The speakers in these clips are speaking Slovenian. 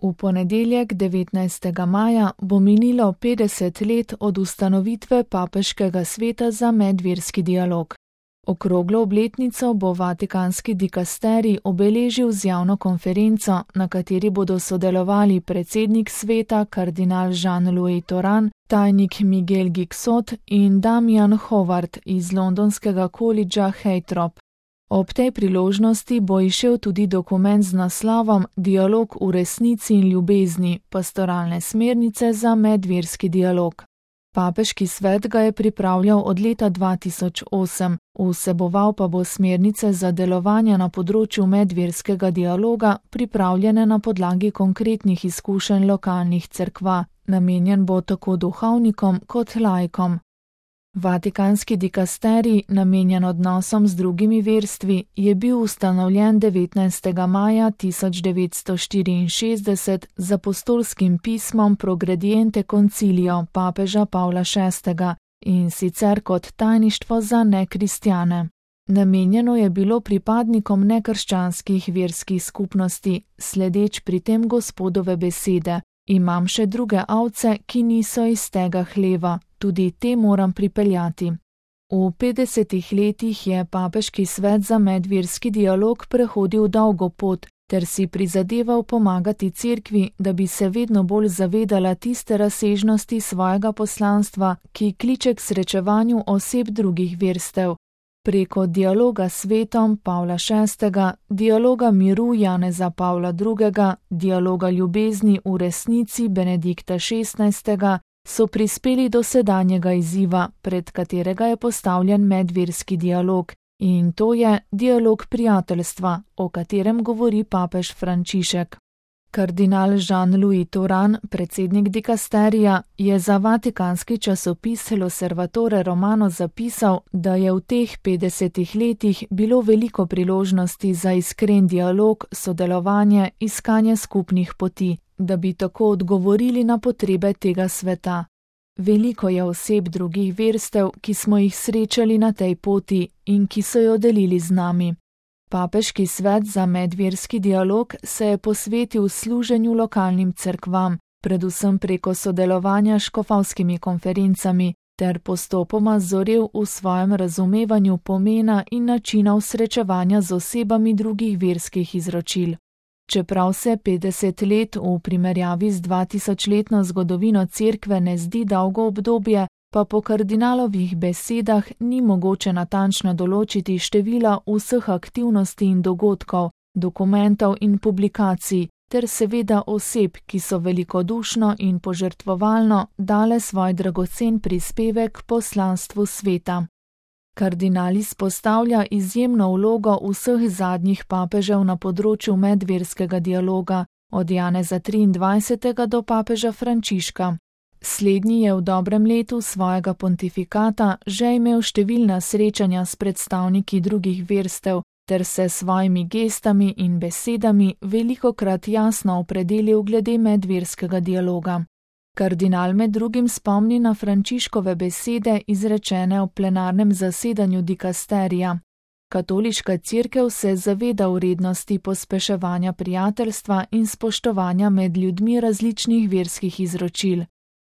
V ponedeljek 19. maja bo minilo 50 let od ustanovitve Papeškega sveta za medverski dialog. Okroglo obletnico bo vatikanski dikasterij obeležil z javno konferenco, na kateri bodo sodelovali predsednik sveta kardinal Jean-Louis Tauran, tajnik Miguel Guixot in Damian Howard iz londonskega kolidža Heitrop. Ob tej priložnosti bo izšel tudi dokument z naslovom Dialog v resnici in ljubezni, pastoralne smernice za medverski dialog. Papeški svet ga je pripravljal od leta 2008, vseboval pa bo smernice za delovanje na področju medverskega dialoga, pripravljene na podlagi konkretnih izkušenj lokalnih cerkva, namenjen bo tako duhovnikom kot laikom. Vatikanski dikasterij, namenjen odnosom z drugimi verstvi, je bil ustanovljen 19. maja 1964 z apostolskim pismom Progrediente Concilio papeža Pavla VI in sicer kot tajništvo za nekristjane. Namenjeno je bilo pripadnikom nekrščanskih verskih skupnosti, sledeč pri tem Gospodove besede: imam še druge ovce, ki niso iz tega hleva, tudi te moram pripeljati. V 50 letih je Papeški svet za medverski dialog prehodil dolgo pot ter si prizadeval pomagati cerkvi, da bi se vedno bolj zavedala tiste razsežnosti svojega poslanstva, ki kliče k srečevanju oseb drugih verstev. Preko dialoga s svetom Pavla VI, dialoga miru Janeza Pavla II, dialoga ljubezni v resnici Benedikta XVI, so prispeli do sedanjega izziva, pred katerega je postavljen medverski dialog, in to je dialog prijateljstva, o katerem govori papež Frančišek. Kardinal Jean-Louis Tauran, predsednik dikasterija, je za vatikanski časopis L'Osservatore Romano zapisal, da je v teh 50 letih bilo veliko priložnosti za iskren dialog, sodelovanje, iskanje skupnih poti, da bi tako odgovorili na potrebe tega sveta. Veliko je oseb drugih verstev, ki smo jih srečali na tej poti in ki so jo delili z nami. Papeški svet za medverski dialog se je posvetil služenju lokalnim cerkvam, predvsem preko sodelovanja s škofovskimi konferencami, ter postopoma zorel v svojem razumevanju pomena in načinov srečevanja z osebami drugih verskih izročil. Čeprav se 50 let v primerjavi z 2000-letno zgodovino cerkve ne zdi dolgo obdobje, pa po kardinalovih besedah ni mogoče natančno določiti števila vseh aktivnosti in dogodkov, dokumentov in publikacij, ter seveda oseb, ki so velikodušno in požrtvovalno dale svoj dragocen prispevek poslanstvu sveta. Kardinal izpostavlja izjemno vlogo vseh zadnjih papežev na področju medverskega dialoga, od Janeza 23. do papeža Frančiška. Slednji je v dobrem letu svojega pontifikata že imel številna srečanja s predstavniki drugih verstev ter se svojimi gestami in besedami velikokrat jasno opredelil glede medverskega dialoga. Kardinal med drugim spomni na Frančiškove besede izrečene v plenarnem zasedanju dikasterija. Katoliška cerkev se zaveda vrednosti pospeševanja prijateljstva in spoštovanja med ljudmi različnih verskih izročil.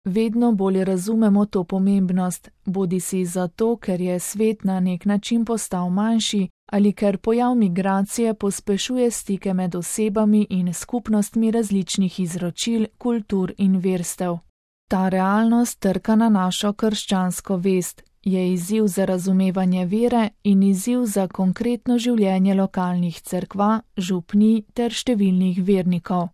Vedno bolj razumemo to pomembnost, bodisi zato, ker je svet na nek način postal manjši ali ker pojav migracije pospešuje stike med osebami in skupnostmi različnih izročil, kultur in verstev. Ta realnost trka na našo krščansko vest, je izziv za razumevanje vere in izziv za konkretno življenje lokalnih cerkva, župnij ter številnih vernikov.